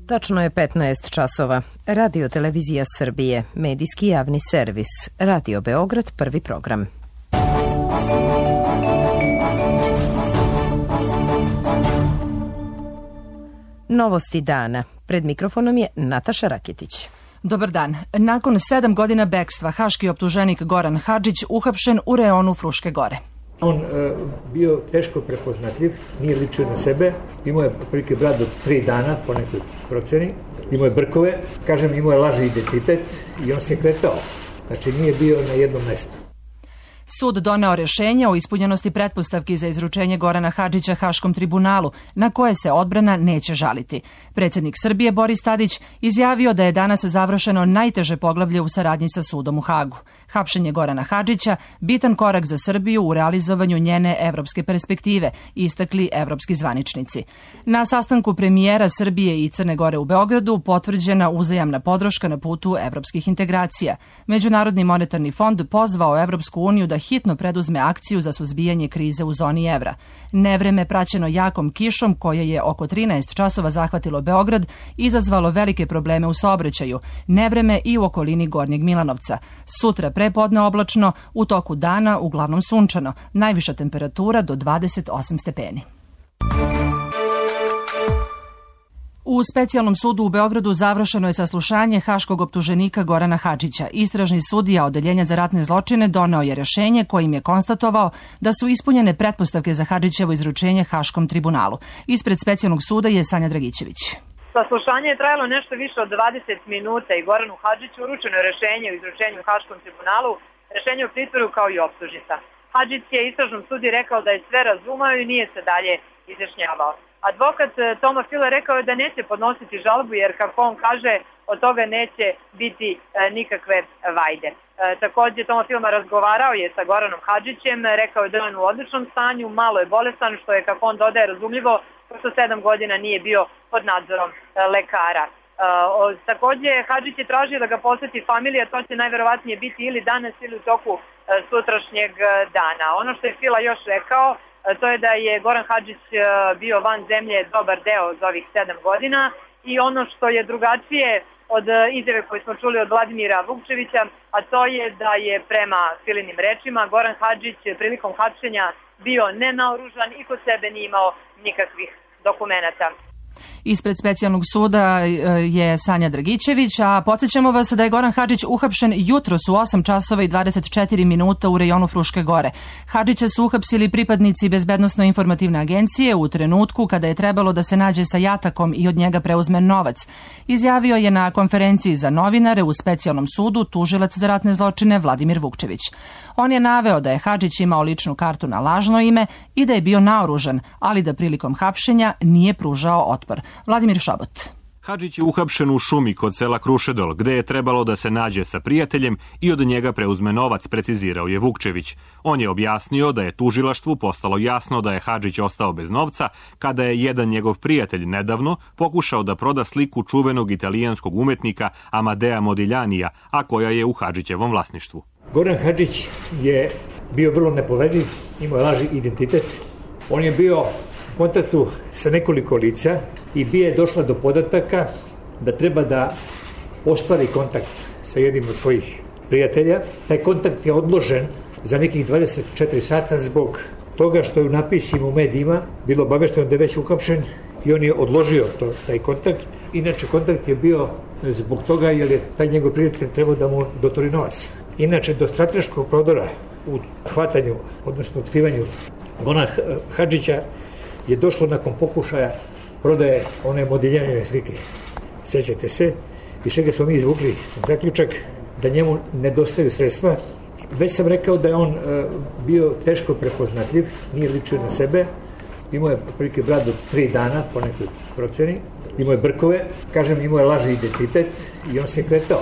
Tačno je 15 časova. Radio Televizija Srbije, medijski javni servis. Radio Beograd, prvi program. Novosti dana. Pred mikrofonom je Nataša Raketić. Dobar dan. Nakon 7 godina bekstva, haški optuženik Goran Hadžić uhapšen u reonu Fruške gore. On bio teško prepoznatljiv, nije ličio na sebe, imao je otprilike brad od 3 dana po nekoj proceni, imao je brkove, imao je lažni identitet i on se kretao, znači nije bio na jednom mestu. Sud doneo rješenje o ispunjenosti pretpostavki za izručenje Gorana Hadžića Haškom tribunalu, na koje se odbrana neće žaliti. Predsjednik Srbije Boris Tadić izjavio da je danas završeno najteže poglavlje u saradnji sa sudom u Hagu. Hapšenje Gorana Hadžića bitan korak za Srbiju u realizovanju njene evropske perspektive, istakli evropski zvaničnici. Na sastanku premijera Srbije i Crne Gore u Beogradu potvrđena uzajamna podrška na putu evropskih integracija. Međunarodni monetarni fond pozvao Evropsku uniju da hitno preduzme akciju za suzbijanje krize u zoni evra. Nevreme praćeno jakom kišom koje je oko 13 časova zahvatilo Beograd izazvalo velike probleme u saobraćaju. Nevreme i u okolini Gornjeg Milanovca. Sutra prepodne oblačno, u toku dana uglavnom sunčano. Najviša temperatura do 28 stepeni. U specijalnom sudu u Beogradu završeno je saslušanje haškog optuženika Gorana Hadžića. Istražni sudija Odeljenja za ratne zločine doneo je rješenje kojim je konstatovao da su ispunjene pretpostavke za Hadžićevo izručenje Haškom tribunalu. Ispred specijalnog suda je Sanja Dragićević. Saslušanje je trajalo nešto više od 20 minuta i Goranu Hadžiću uručeno je rješenje o izručenju Haškom tribunalu, rješenje o pritvoru kao i optužnica. Hadžić je istražnom sudi rekao da je sve razumeo i nije se dalje izjašnjavao. Advokat Toma Fila rekao je da neće podnositi žalbu jer, kako on kaže, od toga neće biti nikakve vajde. Također Toma Fila razgovarao je sa Goranom Hadžićem, rekao je da je on u odličnom stanju, malo je bolestan, što je, kako on dodaje, razumljivo, pošto 7 godina nije bio pod nadzorom lekara. Također Hadžić je tražio da ga posjeti familija, to će najverovatnije biti ili danas ili u toku sutrašnjeg dana. Ono što je Fila još rekao, to je da je Goran Hadžić bio van zemlje dobar deo za ovih 7 godina i ono što je drugačije od izjave koje smo čuli od Vladimira Vukčevića, a to je da je prema Filinim rečima Goran Hadžić prilikom hapšenja bio nenaoružan i kod sebe nije imao nikakvih dokumenata. Ispred specijalnog suda je Sanja Dragićević, a podsjećamo vas da je Goran Hadžić uhapšen jutros u 8 časova i 24 minuta u rejonu Fruške gore. Hadžića su uhapsili pripadnici Bezbednosno-informativne agencije u trenutku kada je trebalo da se nađe sa jatakom i od njega preuzme novac. Izjavio je na konferenciji za novinare u specijalnom sudu tužilac za ratne zločine Vladimir Vukčević. On je naveo da je Hadžić imao ličnu kartu na lažno ime i da je bio naoružan, ali da prilikom hapšenja nije pružao otpor. Vladimir Šobot. Hadžić je uhapšen u šumi kod sela Krušedol, gde je trebalo da se nađe sa prijateljem i od njega preuzme novac, precizirao je Vukčević. On je objasnio da je tužilaštvu postalo jasno da je Hadžić ostao bez novca kada je jedan njegov prijatelj nedavno pokušao da proda sliku čuvenog italijanskog umetnika Amadea Modiljanija, a koja je u Hadžićevom vlasništvu. Goran Hadžić je bio vrlo nepoverljiv, imao je lažni identitet. On je bio u kontaktu sa nekoliko lica i bio je došla do podataka da treba da ostvari kontakt sa jednim od svojih prijatelja. Taj kontakt je odložen za nekih 24 sata zbog toga što je u napisima u medijima bilo obavešteno da je već uhapšen i on je odložio taj kontakt. Inače, kontakt je bio zbog toga jer je taj njegov prijatelj trebao da mu dotori novac. Inače, do strateškog prodora u hvatanju, odnosno otkrivanju Gorana Hadžića je došlo nakon pokušaja prodaje one Modiljanove slike. Sjećate se? Iz čega smo mi izvukli zaključak da njemu nedostaju sredstva. Već sam rekao da je on bio teško prepoznatljiv, nije ličio na sebe. Imao je otprilike brad od 3 dana po nekoj proceni. Imao je brkove, imao je lažni identitet i on se kretao.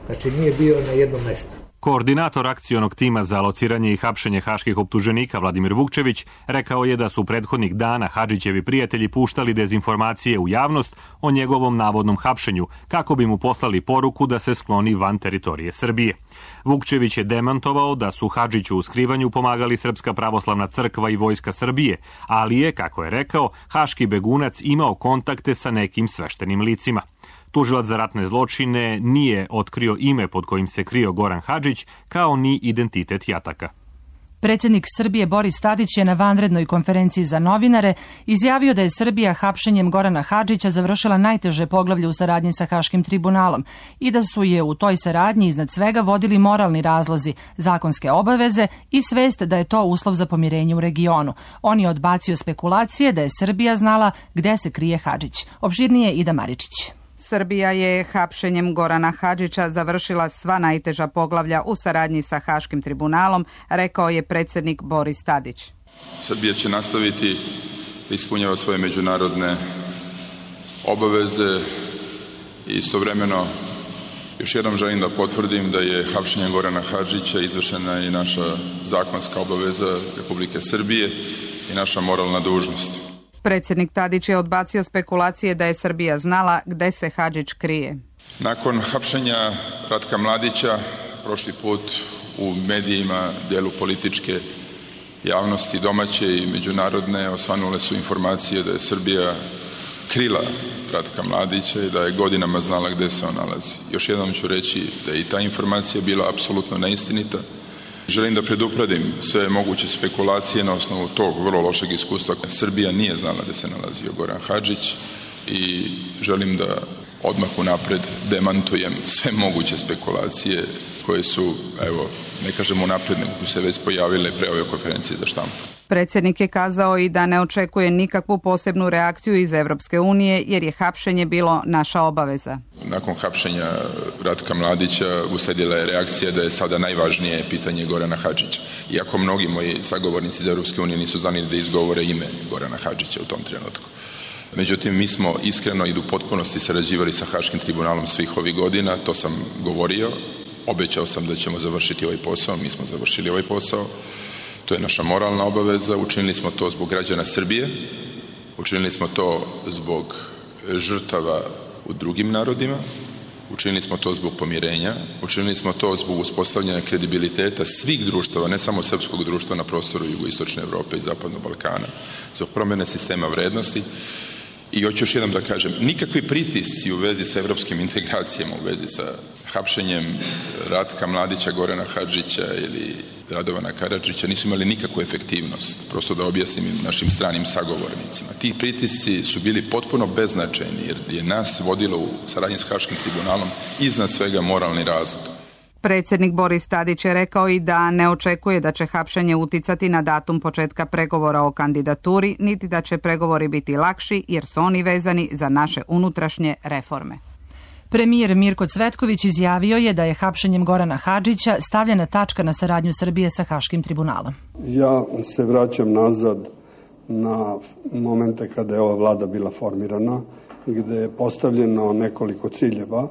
Znači nije bio na jednom mestu. Koordinator akcionog tima za lociranje i hapšenje haških optuženika Vladimir Vukčević rekao je da su prethodnih dana Hadžićevi prijatelji puštali dezinformacije u javnost o njegovom navodnom hapšenju kako bi mu poslali poruku da se skloni van teritorije Srbije. Vukčević je demantovao da su Hadžiću u skrivanju pomagali Srpska pravoslavna crkva i Vojska Srbije, ali je, kako je rekao, haški begunac imao kontakte sa nekim sveštenim licima. Tužilac za ratne zločine nije otkrio ime pod kojim se krio Goran Hadžić, kao ni identitet jataka. Predsjednik Srbije Boris Tadić je na vanrednoj konferenciji za novinare izjavio da je Srbija hapšenjem Gorana Hadžića završila najteže poglavlje u saradnji sa Haškim tribunalom i da su je u toj saradnji iznad svega vodili moralni razlozi, zakonske obaveze i svest da je to uslov za pomirenje u regionu. On je odbacio spekulacije da je Srbija znala gde se krije Hadžić. Opširnije Ida Maričić. Srbija je hapšenjem Gorana Hadžića završila sva najteža poglavlja u saradnji sa Haškim tribunalom, rekao je predsjednik Boris Tadić. Srbija će nastaviti da ispunjava svoje međunarodne obaveze i istovremeno još jednom želim da potvrdim da je hapšenjem Gorana Hadžića izvršena i naša zakonska obaveza Republike Srbije i naša moralna dužnost. Predsjednik Tadić je odbacio spekulacije da je Srbija znala gde se Hadžić krije. Nakon hapšenja Ratka Mladića, prošli put u medijima, delu političke javnosti domaće i međunarodne, osvanule su informacije da je Srbija krila Ratka Mladića i da je godinama znala gde se on nalazi. Još jednom ću reći da je i ta informacija bila apsolutno neistinita. Želim da predupredim sve moguće spekulacije na osnovu tog vrlo lošeg iskustva. Srbija nije znala da se nalazio Goran Hadžić i želim da odmah unapred demantujem sve moguće spekulacije koje su, evo, ne kažem unapred, nego se već pojavile pre ove konferencije za štampu. Predsjednik je kazao i da ne očekuje nikakvu posebnu reakciju iz Evropske unije jer je hapšenje bilo naša obaveza. Nakon hapšenja Ratka Mladića usledila je reakcija da je sada najvažnije pitanje Gorana Hadžića. Iako mnogi moji sagovornici iz Evropske unije nisu znali da izgovore ime Gorana Hadžića u tom trenutku. Međutim, mi smo iskreno i u potpunosti sarađivali sa Haškim tribunalom svih ovih godina, to sam govorio, obećao sam da ćemo završiti ovaj posao, mi smo završili ovaj posao. To je naša moralna obaveza, učinili smo to zbog građana Srbije, učinili smo to zbog žrtava u drugim narodima, učinili smo to zbog pomirenja, učinili smo to zbog uspostavljanja kredibiliteta svih društava, ne samo srpskog društva na prostoru jugoistočne Evrope i zapadnog Balkana, zbog promjene sistema vrednosti. I hoću još jednom da kažem, nikakvi pritisci u vezi sa evropskim integracijama, u vezi sa hapšenjem Ratka Mladića, Gorana Hadžića ili Radovana Karadžića nisu imali nikakvu efektivnost, prosto da objasnim našim stranim sagovornicima. Ti pritisci su bili potpuno beznačajni jer je nas vodilo u saradnji s Haškim tribunalom iznad svega moralni razlog. Predsjednik Boris Tadić je rekao i da ne očekuje da će hapšenje uticati na datum početka pregovora o kandidaturi, niti da će pregovori biti lakši jer su oni vezani za naše unutrašnje reforme. Premijer Mirko Cvetković izjavio je da je hapšenjem Gorana Hadžića stavljena tačka na saradnju Srbije sa Haškim tribunalom. Ja se vraćam nazad na momente kada je ova vlada bila formirana, gde je postavljeno nekoliko ciljeva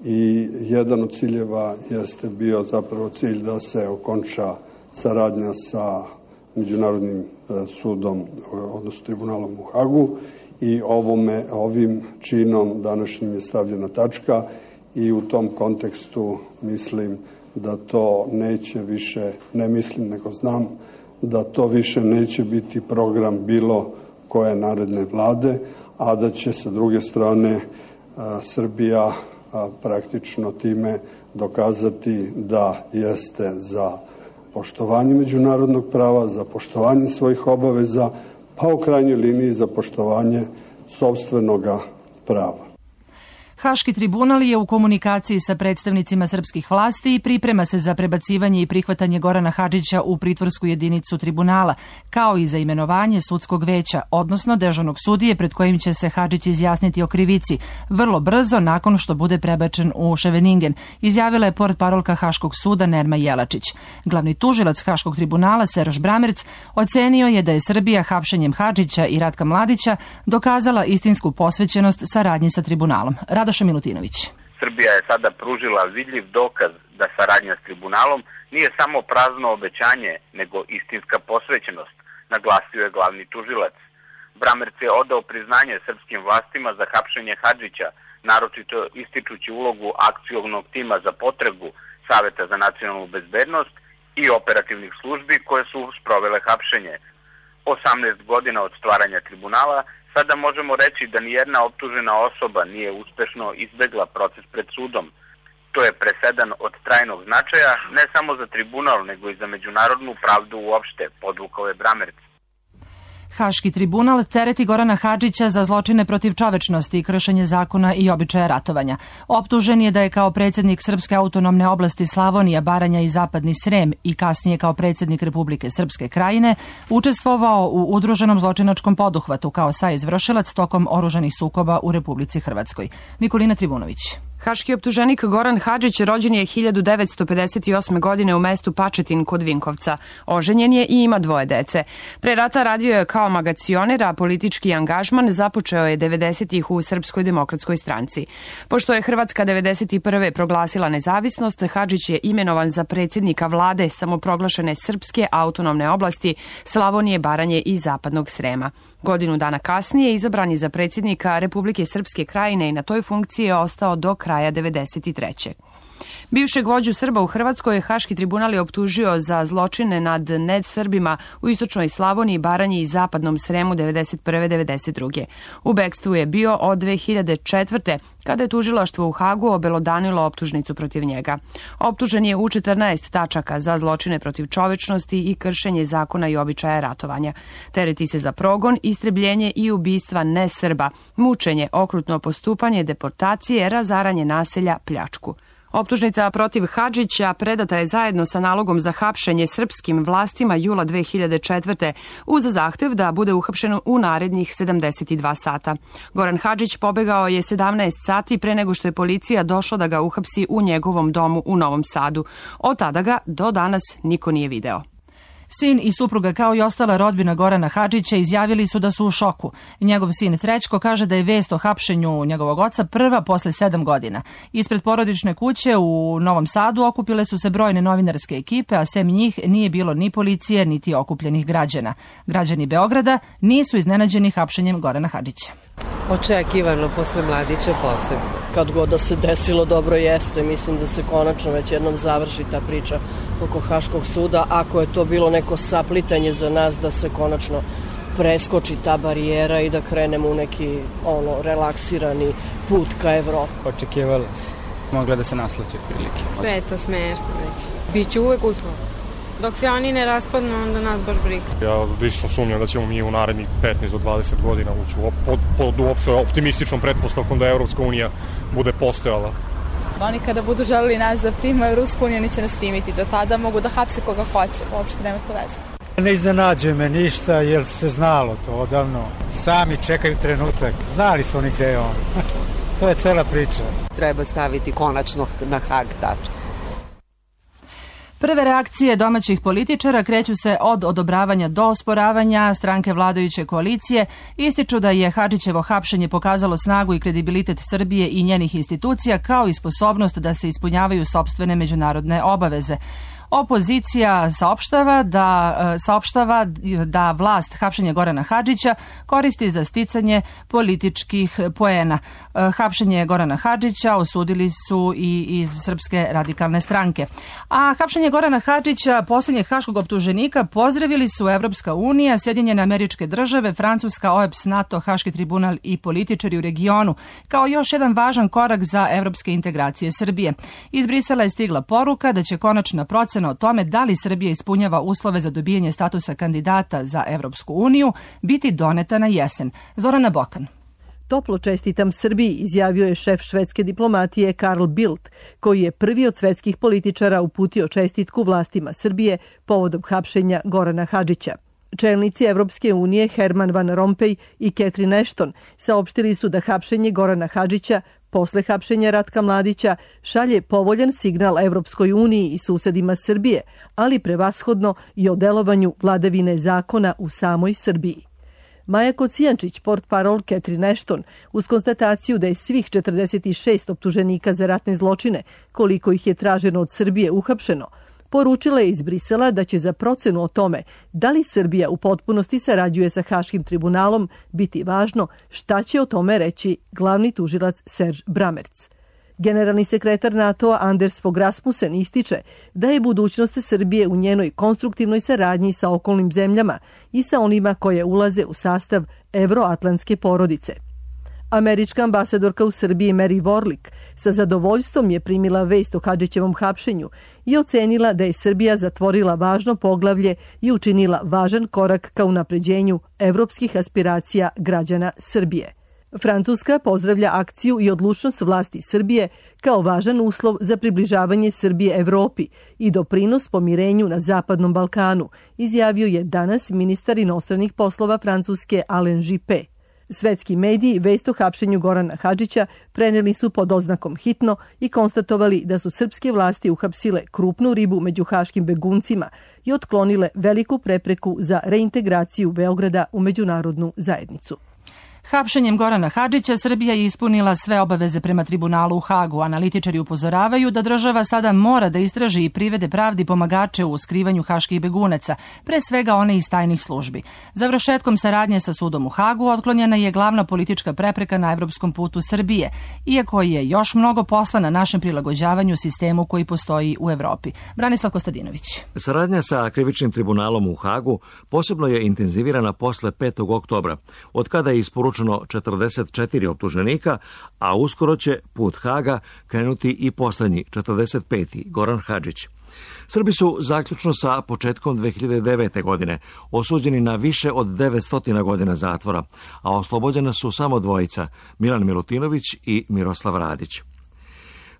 i jedan od ciljeva jeste bio zapravo cilj da se okonča saradnja sa Međunarodnim sudom, odnosno tribunalom u Hagu, i ovim činom današnjim je stavljena tačka i u tom kontekstu mislim da to neće više, ne mislim nego znam, da to više neće biti program bilo koje naredne vlade, a da će sa druge strane Srbija praktično time dokazati da jeste za poštovanje međunarodnog prava, za poštovanje svojih obaveza, pa u krajnjoj liniji za poštovanje sopstvenog prava. Haški tribunal je u komunikaciji sa predstavnicima srpskih vlasti i priprema se za prebacivanje i prihvatanje Gorana Hadžića u pritvorsku jedinicu tribunala, kao i za imenovanje sudskog veća, odnosno dežurnog sudije pred kojim će se Hadžić izjasniti o krivici, vrlo brzo nakon što bude prebačen u Ševeningen, izjavila je portparolka Haškog suda Nerma Jelačić. Glavni tužilac Haškog tribunala Seroš Bramerc ocenio je da je Srbija hapšenjem Hadžića i Ratka Mladića dokazala istinsku posvećenost saradnji sa tribunalom. Radoša Milutinović. Srbija je sada pružila vidljiv dokaz da saradnja s tribunalom nije samo prazno obećanje, nego istinska posvećenost, naglasio je glavni tužilac. Bramerc je odao priznanje srpskim vlastima za hapšenje Hadžića, naročito ističući ulogu akcionog tima za potragu Saveta za nacionalnu bezbednost i operativnih službi koje su sprovele hapšenje. 18 godina od stvaranja tribunala, sada možemo reći da nijedna optužena osoba nije uspešno izbegla proces pred sudom. To je presedan od trajnog značaja ne samo za tribunal, nego i za međunarodnu pravdu uopšte, podvukao je Bramerc. Haški tribunal tereti Gorana Hadžića za zločine protiv čovečnosti i kršenje zakona i običaja ratovanja. Optužen je da je kao predsjednik Srpske autonomne oblasti Slavonija, Baranja i Zapadni Srem i kasnije kao predsjednik Republike Srpske Krajine učestvovao u udruženom zločinačkom poduhvatu kao saizvršilac tokom oružanih sukoba u Republici Hrvatskoj. Nikolina Tribunović. Haški optuženik Goran Hadžić rođen je 1958. godine u mestu Pačetin kod Vinkovca. Oženjen je i ima 2 dece. Pre rata radio je kao magacioner, a politički angažman započeo je 90-ih u Srpskoj demokratskoj stranci. Pošto je Hrvatska 91. proglasila nezavisnost, Hadžić je imenovan za predsjednika vlade samoproglašene Srpske autonomne oblasti Slavonije, Baranje i Zapadnog Srema. Godinu dana kasnije izabran je za predsjednika Republike Srpske Krajine i na toj funkciji je ostao do kraja 93. Bivšeg vođu Srba u Hrvatskoj Haški tribunal je optužio za zločine nad nedsrbima u istočnoj Slavoniji, Baranji i Zapadnom Sremu 1991-1992. U bekstvu je bio od 2004. kada je tužilaštvo u Hagu obelodanilo optužnicu protiv njega. Optužen je u 14 tačaka za zločine protiv čovečnosti i kršenje zakona i običaja ratovanja. Tereti se za progon, istrebljenje i ubistva nesrba, mučenje, okrutno postupanje, deportacije, razaranje naselja, pljačku. Optužnica protiv Hadžića predata je zajedno sa nalogom za hapšenje srpskim vlastima jula 2004. uz zahtev da bude uhapšen u narednih 72 sata. Goran Hadžić pobegao je 17 sati pre nego što je policija došla da ga uhapsi u njegovom domu u Novom Sadu. Od tada ga do danas niko nije video. Sin i supruga kao i ostala rodbina Gorana Hadžića izjavili su da su u šoku. Njegov sin Srećko kaže da je vest o hapšenju njegovog oca prva posle 7 godina. Ispred porodične kuće u Novom Sadu okupile su se brojne novinarske ekipe, a sem njih nije bilo ni policije, niti okupljenih građana. Građani Beograda nisu iznenađeni hapšenjem Gorana Hadžića. Očekivano posle Mladića posebno. Kad god da se desilo, dobro jeste. Mislim da se konačno već jednom završi ta priča oko Haškog suda. Ako je to bilo neko saplitanje za nas, da se konačno preskoči ta barijera i da krenemo u neki relaksirani put ka Evropi. Očekivalo se. Mogla da se naslati prilike. Sve je to smešno već. Biće uvek uslov. Dok se oni ne raspadnu, onda nas baš briga. Ja lično sumnjam da ćemo mi u narednih 15 do 20 godina ući pod uopšte optimističnom pretpostavkom da Evropska unija bude postojala. Oni kada budu želeli nas da primaju Rusku uniju, oni će nas primiti. Do tada mogu da hapse koga hoće. Uopšte nema to veze. Ne iznenađuje me ništa jer se znalo to odavno. Sami čekaju trenutak. Znali su oni gde je on. To je cela priča. Treba staviti konačno na Hag tačku. Prve reakcije domaćih političara kreću se od odobravanja do osporavanja. Stranke vladajuće koalicije ističu da je Hadžićevo hapšenje pokazalo snagu i kredibilitet Srbije i njenih institucija, kao i sposobnost da se ispunjavaju sopstvene međunarodne obaveze. Opozicija saopštava da vlast hapšenja Gorana Hadžića koristi za sticanje političkih poena. Hapšenje Gorana Hadžića osudili su i iz Srpske radikalne stranke. A hapšenje Gorana Hadžića, posljednjeg haškog optuženika, pozdravili su Evropska unija, Sjedinjene Američke Države, Francuska, OEBS, NATO, Haški tribunal i političari u regionu, kao još jedan važan korak za evropske integracije Srbije. Iz Brisela je stigla poruka da će konačna procena o tome da li Srbija ispunjava uslove za dobijanje statusa kandidata za Evropsku uniju biti doneta na jesen. Zorana Bokan. Toplo čestitam Srbiji, izjavio je šef švedske diplomatije Carl Bildt, koji je prvi od svetskih političara uputio čestitku vlastima Srbije povodom hapšenja Gorana Hadžića. Čelnici Evropske unije Herman Van Rompuy i Catherine Ashton saopštili su da hapšenje Gorana Hadžića posle hapšenja Ratka Mladića šalje povoljan signal Evropskoj uniji i susedima Srbije, ali prevashodno i o delovanju vladavine zakona u samoj Srbiji. Maja Kocijančić, portparol Catherine Ashton, uz konstataciju da je svih 46 optuženika za ratne zločine, koliko ih je traženo od Srbije, uhapšeno, poručila je iz Brisela da će za procenu o tome da li Srbija u potpunosti sarađuje sa Haškim tribunalom biti važno šta će o tome reći glavni tužilac Serge Bramertz. Generalni sekretar NATO-a Anders Fogh Rasmussen ističe da je budućnost Srbije u njenoj konstruktivnoj saradnji sa okolnim zemljama i sa onima koje ulaze u sastav evroatlantske porodice. Američka ambasadorka u Srbiji Mary Warlick sa zadovoljstvom je primila vest o Hadžićevom hapšenju i ocenila da je Srbija zatvorila važno poglavlje i učinila važan korak ka unapređenju evropskih aspiracija građana Srbije. Francuska pozdravlja akciju i odlučnost vlasti Srbije kao važan uslov za približavanje Srbije Evropi i doprinos pomirenju na Zapadnom Balkanu, izjavio je danas ministar inostranih poslova Francuske Alain Juppé. Svetski mediji vest o hapšenju Gorana Hadžića preneli su pod oznakom hitno i konstatovali da su srpske vlasti uhapsile krupnu ribu među haškim beguncima i otklonile veliku prepreku za reintegraciju Beograda u međunarodnu zajednicu. Hapšenjem Gorana Hadžića Srbija je ispunila sve obaveze prema tribunalu u Hagu. Analitičari upozoravaju da država sada mora da istraži i privede pravdi pomagače u skrivanju haških begunaca, pre svega one iz tajnih službi. Završetkom saradnje sa sudom u Hagu otklonjena je glavna politička prepreka na evropskom putu Srbije, iako je još mnogo posla na našem prilagođavanju sistemu koji postoji u Evropi. Branislav Kostadinović. Saradnja sa krivičnim tribunalom u Hagu posebno je intenzivirana posle 5. oktobra, od kada je isporučeno 44 optuženika, a uskoro će put Haga krenuti i poslednji, 45. Goran Hadžić. Srbi su zaključno sa početkom 2009. godine osuđeni na više od 900 godina zatvora, a oslobođena su samo dvojica, Milan Milutinović i Miroslav Radić.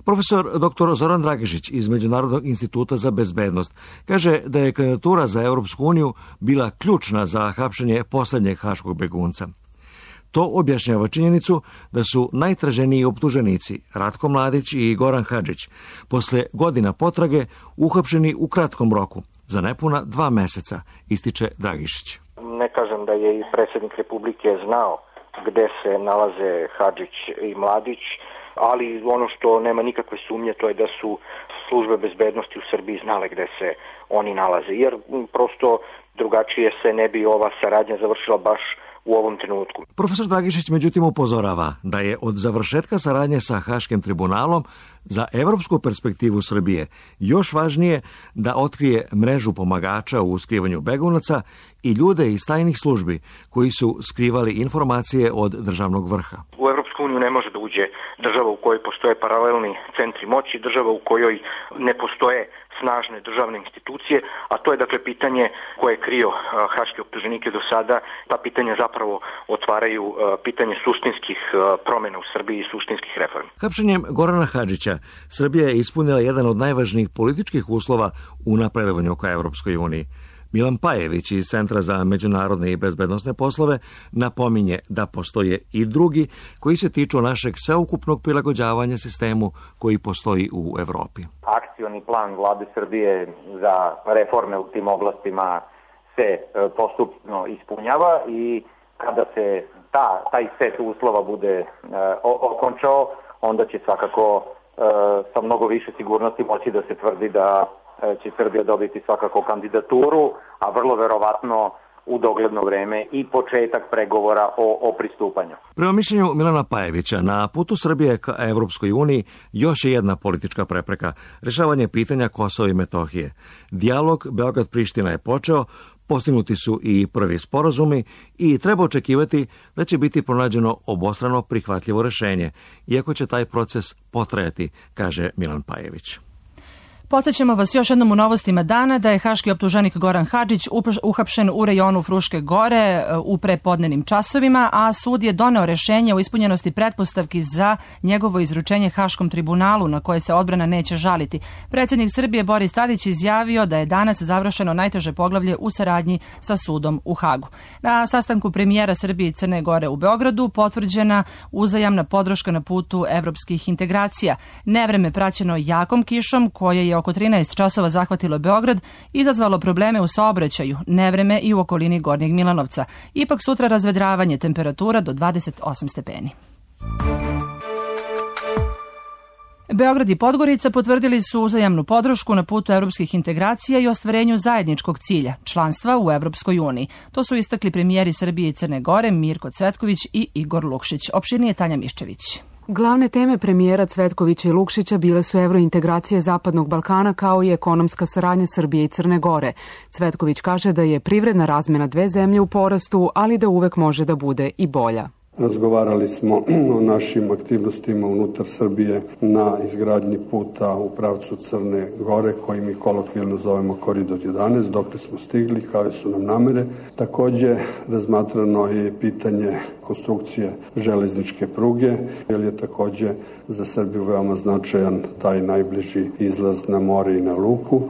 Profesor dr. Zoran Dragišić iz Međunarodnog instituta za bezbednost kaže da je kandidatura za Europsku uniju bila ključna za hapšenje poslednjeg haškog begunca. To objašnjava činjenicu da su najtraženiji optuženici Ratko Mladić i Goran Hadžić posle godina potrage uhapšeni u kratkom roku, za nepuna 2 meseca, ističe Dragišić. Ne kažem da je i predsjednik Republike znao gde se nalaze Hadžić i Mladić, ali ono što nema nikakve sumnje to je da su službe bezbednosti u Srbiji znale gde se oni nalaze, jer prosto drugačije se ne bi ova saradnja završila baš u ovom trenutku. Profesor Dragišić međutim upozorava da je od završetka saradnje sa Haškim tribunalom za evropsku perspektivu Srbije još važnije da otkrije mrežu pomagača u skrivanju begunaca i ljude iz tajnih službi koji su skrivali informacije od državnog vrha. U Evropsku uniju ne može da uđe država u kojoj postoje paralelni centri moći, država u kojoj ne postoje snažne državne institucije, a to je dakle pitanje koje je krio haške optuženike do sada. Ta pitanja zapravo otvaraju pitanje suštinskih promjena u Srbiji i suštinskih reformi. Hapšenjem Gorana Hadžića Srbija je ispunila jedan od najvažnijih političkih uslova u napredovanju ka Evropskoj uniji. Milan Pajević iz Centra za međunarodne i bezbednosne poslove napominje da postoje i drugi koji se tiču našeg sveukupnog prilagođavanja sistemu koji postoji u Evropi. Akcioni plan vlade Srbije za reforme u tim oblastima se postupno ispunjava i kada se taj set uslova bude okončao, onda će svakako sa mnogo više sigurnosti moći da se tvrdi da će Srbija dobiti svakako kandidaturu, a vrlo verovatno u dogledno vreme i početak pregovora o pristupanju. Prema mišljenju Milana Pajevića, na putu Srbije ka Evropskoj uniji još je jedna politička prepreka, rešavanje pitanja Kosova i Metohije. Dijalog Beograd-Priština je počeo, postignuti su i prvi sporazumi i treba očekivati da će biti pronađeno obostrano prihvatljivo rešenje, iako će taj proces potrajati, kaže Milan Pajević. Podsećamo vas još jednom u novostima dana da je haški optuženik Goran Hadžić uhapšen u rejonu Fruške gore u prepodnevnim časovima, a sud je doneo rešenje o ispunjenosti pretpostavki za njegovo izručenje Haškom tribunalu na koje se odbrana neće žaliti. Predsjednik Srbije Boris Tadić izjavio da je danas završeno najteže poglavlje u saradnji sa sudom u Hagu. Na sastanku premijera Srbije i Crne Gore u Beogradu potvrđena uzajamna podrška na putu evropskih integracija. Nevreme praćeno jakom kišom koje je oko 13 časova zahvatilo Beograd, izazvalo probleme u saobraćaju, nevreme i u okolini Gornjeg Milanovca. Ipak sutra razvedravanje, temperatura do 28 stepeni. Beograd i Podgorica potvrdili su uzajamnu podršku na putu evropskih integracija i ostvarenju zajedničkog cilja, članstva u Evropskoj uniji. To su istakli premijeri Srbije i Crne Gore Mirko Cvetković i Igor Lukšić. Opširnije Tanja Miščević. Glavne teme premijera Cvetkovića i Lukšića bile su evrointegracije Zapadnog Balkana kao i ekonomska saradnja Srbije i Crne Gore. Cvetković kaže da je privredna razmena dve zemlje u porastu, ali da uvek može da bude i bolja. Razgovarali smo o našim aktivnostima unutar Srbije na izgradnji puta u pravcu Crne Gore, koji mi kolokvijalno zovemo Koridor 11, dokle smo stigli, kao su nam namere. Takođe, razmatrano je pitanje konstrukcije železničke pruge, jer je takođe za Srbiju veoma značajan taj najbliži izlaz na more i na luku.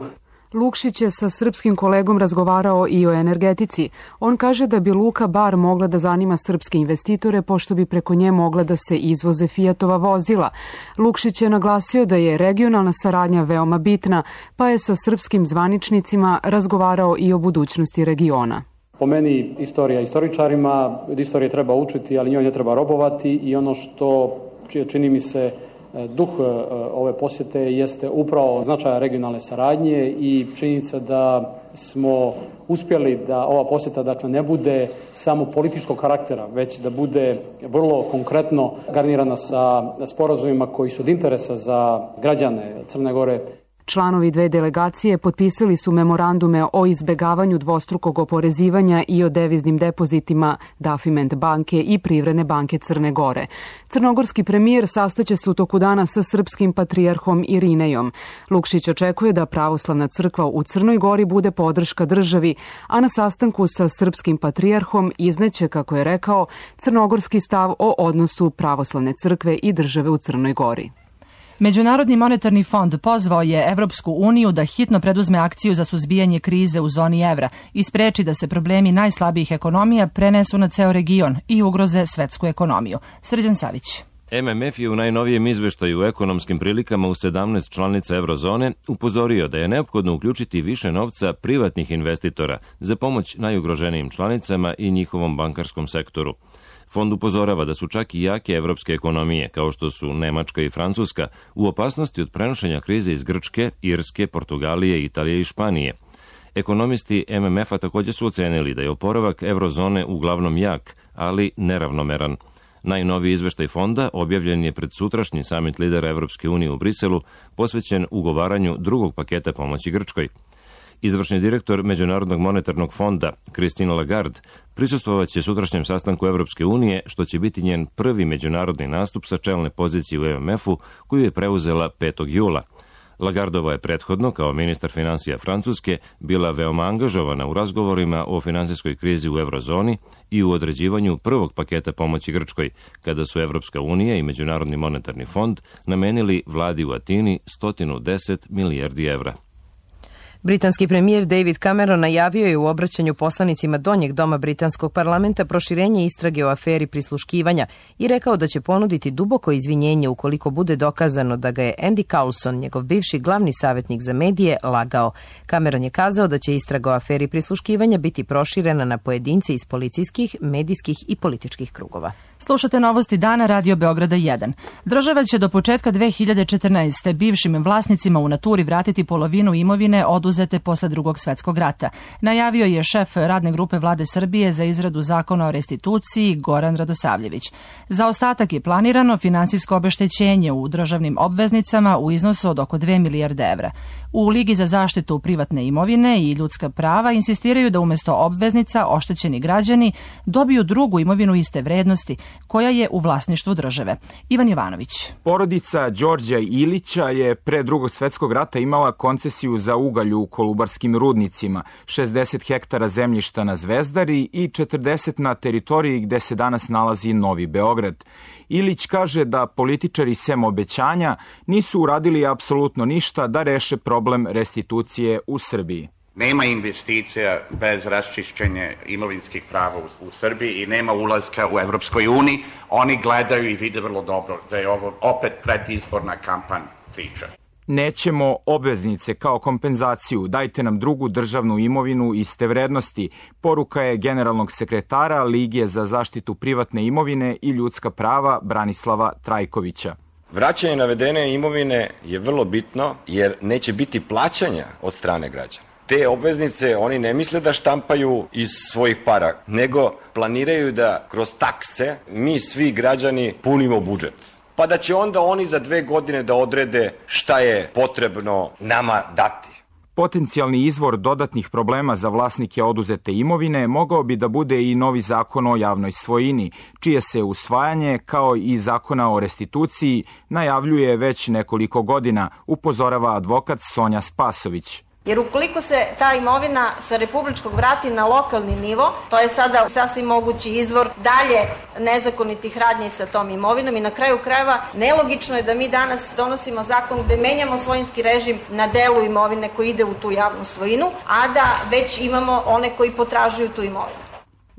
Lukšić je sa srpskim kolegom razgovarao i o energetici. On kaže da bi Luka Bar mogla da zanima srpske investitore, pošto bi preko nje mogla da se izvoze Fiatova vozila. Lukšić je naglasio da je regionalna saradnja veoma bitna, pa je sa srpskim zvaničnicima razgovarao i o budućnosti regiona. Po meni istorija istoričarima, od istorije treba učiti, ali njoj ne treba robovati i ono što čini mi se duh ove posjete jeste upravo značaja regionalne saradnje i činjenica da smo uspjeli da ova posjeta ne bude samo političkog karaktera, već da bude vrlo konkretno garnirana sa sporazumima koji su od interesa za građane Crne Gore. Članovi dve delegacije potpisali su memorandume o izbegavanju dvostrukog oporezivanja i o deviznim depozitima Dafiment banke i Privredne banke Crne Gore. Crnogorski premijer sastaće se u toku dana sa srpskim patrijarhom Irinejom. Lukšić očekuje da pravoslavna crkva u Crnoj Gori bude podrška državi, a na sastanku sa srpskim patrijarhom izneće, kako je rekao, crnogorski stav o odnosu pravoslavne crkve i države u Crnoj Gori. Međunarodni monetarni fond pozvao je Evropsku uniju da hitno preduzme akciju za suzbijanje krize u zoni evra i spreči da se problemi najslabijih ekonomija prenesu na ceo region i ugroze svetsku ekonomiju. Srđan Savić. MMF je u najnovijem izveštaju o ekonomskim prilikama u 17 članica eurozone upozorio da je neophodno uključiti više novca privatnih investitora za pomoć najugroženijim članicama i njihovom bankarskom sektoru. Fond upozorava da su čak i jake evropske ekonomije, kao što su Nemačka i Francuska, u opasnosti od prenošenja krize iz Grčke, Irske, Portugalije, Italije i Španije. Ekonomisti MMF-a također su ocenili da je oporavak eurozone uglavnom jak, ali neravnomeran. Najnoviji izveštaj fonda objavljen je pred sutrašnji samit lidera Evropske unije u Briselu, posvećen ugovaranju drugog paketa pomoći Grčkoj. Izvršni direktor Međunarodnog monetarnog fonda, Christine Lagarde, prisustvovaće sutrašnjem sastanku Evropske unije, što će biti njen prvi međunarodni nastup sa čelne pozicije u MMF-u, koju je preuzela 5. jula. Lagardova je prethodno, kao ministar finansija Francuske, bila veoma angažovana u razgovorima o finansijskoj krizi u eurozoni i u određivanju prvog paketa pomoći Grčkoj, kada su Evropska unija i Međunarodni monetarni fond namenili vladi u Atini 110 milijardi evra. Britanski premijer David Cameron najavio je u obraćanju poslanicima Donjeg doma britanskog parlamenta proširenje istrage o aferi prisluškivanja i rekao da će ponuditi duboko izvinjenje ukoliko bude dokazano da ga je Andy Coulson, njegov bivši glavni savjetnik za medije, lagao. Cameron je kazao da će istraga o aferi prisluškivanja biti proširena na pojedince iz policijskih, medijskih i političkih krugova. Slušate novosti dana Radio Beograda 1. Država će do početka 2014. bivšim vlasnicima u naturi vratiti polovinu imovine oduzete posle Drugog svetskog rata. Najavio je šef radne grupe Vlade Srbije za izradu zakona o restituciji Goran Radosavljević. Za ostatak je planirano finansijsko obeštećenje u državnim obveznicama u iznosu od oko 2 milijarde evra. U Ligi za zaštitu privatne imovine i ljudska prava insistiraju da umesto obveznica oštećeni građani dobiju drugu imovinu iste vrednosti, koja je u vlasništvu države. Ivan Jovanović. Porodica Đorđa Ilića je pre Drugog svetskog rata imala koncesiju za ugalj u Kolubarskim rudnicima, 60 hektara zemljišta na Zvezdari i 40 na teritoriji gde se danas nalazi Novi Beograd. Ilić kaže da političari sem obećanja nisu uradili apsolutno ništa da reše problem restitucije u Srbiji. Nema investicija bez raščišćenja imovinskih prava u Srbiji i nema ulaska u Evropskoj uniji. Oni gledaju i vide vrlo dobro da je ovo opet predizborna kampanja priča. Nećemo obveznice kao kompenzaciju, dajte nam drugu državnu imovinu iste vrednosti, poruka je generalnog sekretara Lige za zaštitu privatne imovine i ljudska prava Branislava Trajkovića. Vraćanje navedene imovine je vrlo bitno jer neće biti plaćanja od strane građana. Te obveznice oni ne misle da štampaju iz svojih para, nego planiraju da kroz takse mi svi građani punimo budžet. Pa da će onda oni za 2 godine da odrede šta je potrebno nama dati. Potencijalni izvor dodatnih problema za vlasnike oduzete imovine mogao bi da bude i novi zakon o javnoj svojini, čije se usvajanje, kao i zakona o restituciji, najavljuje već nekoliko godina, upozorava advokat Sonja Spasović. Jer ukoliko se ta imovina sa republičkog vrati na lokalni nivo, to je sada sasvim mogući izvor dalje nezakonitih radnji sa tom imovinom i na kraju krajeva nelogično je da mi danas donosimo zakon gde menjamo svojinski režim na delu imovine koji ide u tu javnu svojinu, a da već imamo one koji potražuju tu imovinu.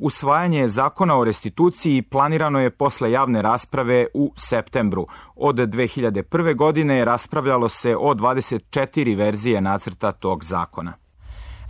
Usvajanje zakona o restituciji planirano je posle javne rasprave u septembru. Od 2001. godine raspravljalo se o 24 verzije nacrta tog zakona.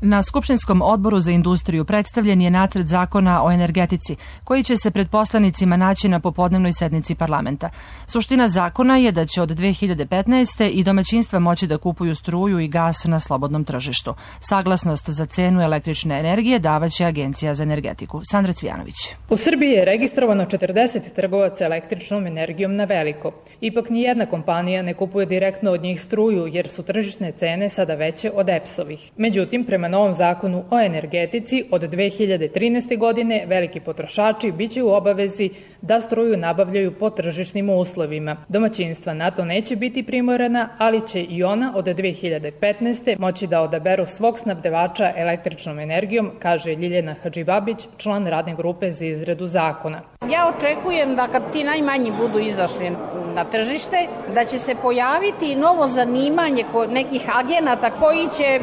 Na Skupštinskom odboru za industriju predstavljen je nacrt zakona o energetici, koji će se pred poslanicima naći na popodnevnoj sednici parlamenta. Suština zakona je da će od 2015. i domaćinstva moći da kupuju struju i gas na slobodnom tržištu. Saglasnost za cenu električne energije davaće Agencija za energetiku. Sandra Cvijanović. U Srbiji je registrovano 40 trgovaca električnom energijom na veliko. Ipak nijedna kompanija ne kupuje direktno od njih struju, jer su tržišne cene sada veće od EPS-ovih. Međutim, prema novom zakonu o energetici od 2013. godine veliki potrošači biće u obavezi da struju nabavljaju po tržišnim uslovima. Domaćinstva na to neće biti primorana, ali će i ona od 2015. moći da odaberu svog snabdevača električnom energijom, kaže Ljiljana Hadžibabić, član radne grupe za izradu zakona. Ja očekujem da kad ti najmanji budu izašli na tržište, da će se pojaviti novo zanimanje nekih agenata koji će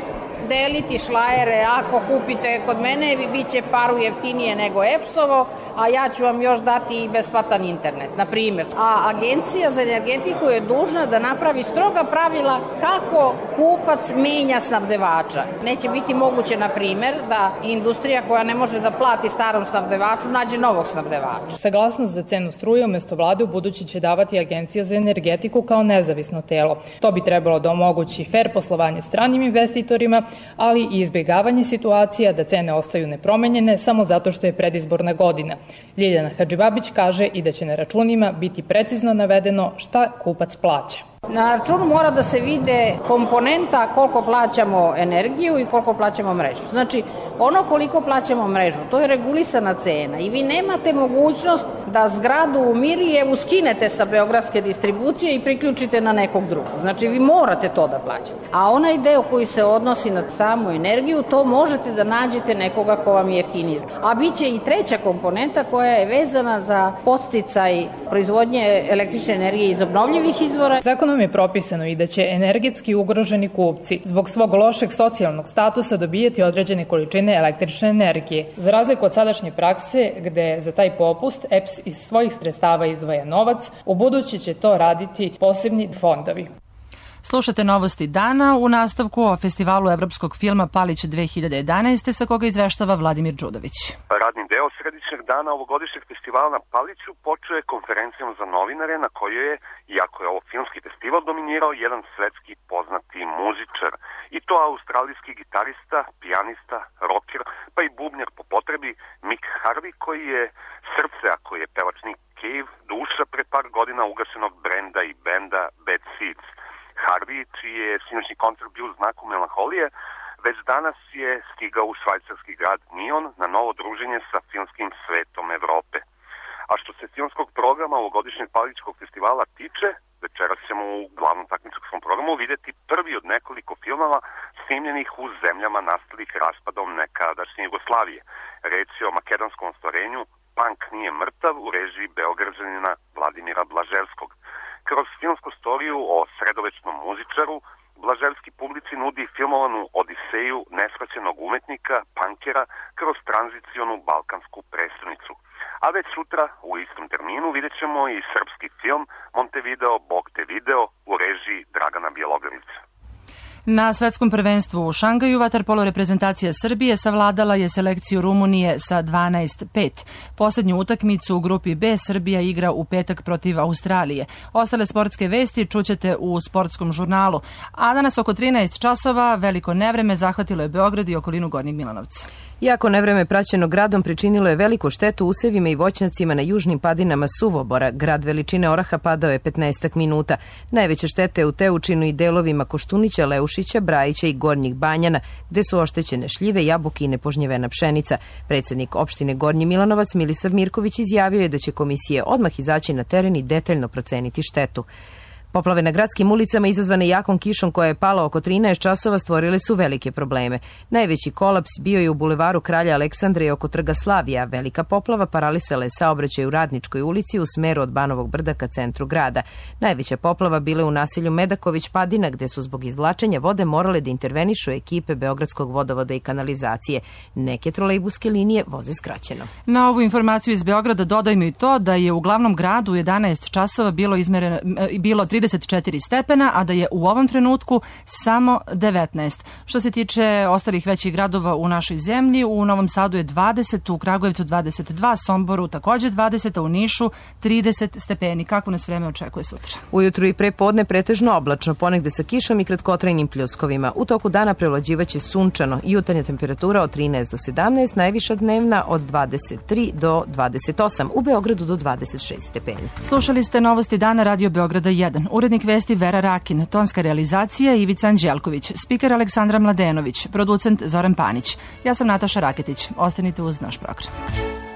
deliti šlajere, ako kupite kod mene, bit će paru jeftinije nego EPS-ovo, a ja ću vam još dati i besplatan internet, na primjer. A Agencija za energetiku je dužna da napravi stroga pravila kako kupac menja snabdevača. Neće biti moguće, na primjer, da industrija koja ne može da plati starom snabdevaču nađe novog snabdevača. Saglasnost za cenu struje umesto vlade u budući će davati Agencija za energetiku kao nezavisno telo. To bi trebalo da omogući fer poslovanje stranim investitorima, ali i izbjegavanje situacija da cene ostaju nepromenjene samo zato što je predizborna godina. Ljiljana Hadžibabić kaže i da će na računima biti precizno navedeno šta kupac plaća. Na računu mora da se vide komponenta koliko plaćamo energiju i koliko plaćamo mrežu. Znači, ono koliko plaćamo mrežu, to je regulisana cena i vi nemate mogućnost da zgradu u Mirijevu skinete sa beogradske distribucije i priključite na nekog drugog. Znači, vi morate to da plaćate. A onaj deo koji se odnosi na samu energiju, to možete da nađete nekoga ko vam je jeftiniji. A bit će i treća komponenta koja je vezana za podsticaj proizvodnje električne energije iz obnovljivih izvora. Zakonom je propisano i da će energetski ugroženi kupci zbog svog lošeg socijalnog statusa dobijeti određene količine električne energije. Za razliku od sadašnje prakse, gde za taj popust EPS iz svojih sredstava izdvaja novac, u budući će to raditi posebni fondovi. Slušate novosti dana u nastavku o festivalu evropskog filma Palić 2011. sa koga izveštava Vladimir Đudović. Radni deo središnjeg dana ovogodišnjeg festivala na Paliću počeo je konferencijom za novinare na kojoj je, iako je ovo filmski festival, dominirao jedan svetski poznati muzičar. I to australijski gitarista, pijanista, rocker, pa i bubnjar po potrebi Mick Harvey, koji je srce, ako je pevač Nick Cave, duša pre par godina ugašenog brenda i benda Bad Seeds. Harvey, čiji je sinoćni koncert bio u znaku melanholije, već danas je stigao u švajcarski grad Nion na novo druženje sa filmskim svetom Evrope. A što se filmskog programa ovogodišnjeg Palićkog festivala tiče, večeras ćemo u glavnom takmičarskom programu videti prvi od nekoliko filmova snimljenih u zemljama nastalih raspadom nekadašnje Jugoslavije. Reč je o makedonskom ostvarenju Punk nije mrtav u režiji Beograđanina Vladimira Blaževskog. Kroz filmsku storiju o sredovečnom muzičaru Blaževski publici nudi filmovanu odiseju neshvaćenog umetnika, punkera, kroz tranzicionu balkansku prestonicu. A već sutra u istom terminu vidjet ćemo i srpski film Montevideo, Bog te video u režiji Dragana Bjelogrlića. Na svetskom prvenstvu u Šangaju vaterpolo reprezentacija Srbije savladala je selekciju Rumunije sa 12-5. Poslednju utakmicu u grupi B Srbija igra u petak protiv Australije. Ostale sportske vesti čućete u sportskom žurnalu. A danas oko 13 časova veliko nevreme zahvatilo je Beograd i okolinu Gornjeg Milanovca. Jako nevreme praćeno gradom pričinilo je veliku štetu usevima i voćnjacima na južnim padinama Suvobora. Grad veličine oraha padao je 15 minuta. Najveća šteta je u Teučinu i delovima Koštunića, Leušića, Brajića i Gornjih Banjana, gde su oštećene šljive, jabuke i nepožnjevena pšenica. Predsednik opštine Gornji Milanovac Milisav Mirković izjavio je da će komisije odmah izaći na teren i detaljno proceniti štetu. Poplave na gradskim ulicama izazvane jakom kišom koja je pala oko 13 časova stvorile su velike probleme. Najveći kolaps bio je u bulevaru Kralja Aleksandra i oko Trga Slavija. Velika poplava paralisala je saobraćaj u Radničkoj ulici u smeru od Banovog brda ka centru grada. Najveća poplava bila u naselju Medaković Padina, gde su zbog izvlačenja vode morale da intervenišu ekipe Beogradskog vodovoda i kanalizacije. Neke trolejbuske linije voze skraćeno. Na ovu informaciju iz Beograda dodajmo i to da je u glavnom gradu u 11 časova bilo 34 stepena, a da je u ovom trenutku samo 19. Što se tiče ostalih većih gradova u našoj zemlji, u Novom Sadu je 20, u Kragujevcu 22, Somboru takođe 20, a u Nišu 30 stepeni. Kako nas vreme očekuje sutra? Ujutru i pre podne pretežno oblačno, ponegde sa kišom i kratkotrajnim pljuskovima. U toku dana prevlađivaće sunčano, jutarnja temperatura od 13 do 17, najviša dnevna od 23 do 28, u Beogradu do 26 stepeni. Slušali ste novosti dana Radio Beograda 1. Urednik vesti Vera Rakin, tonska realizacija Ivica Anđelković, spiker Aleksandra Mladenović, producent Zoran Panić. Ja sam Nataša Raketić. Ostanite uz naš program.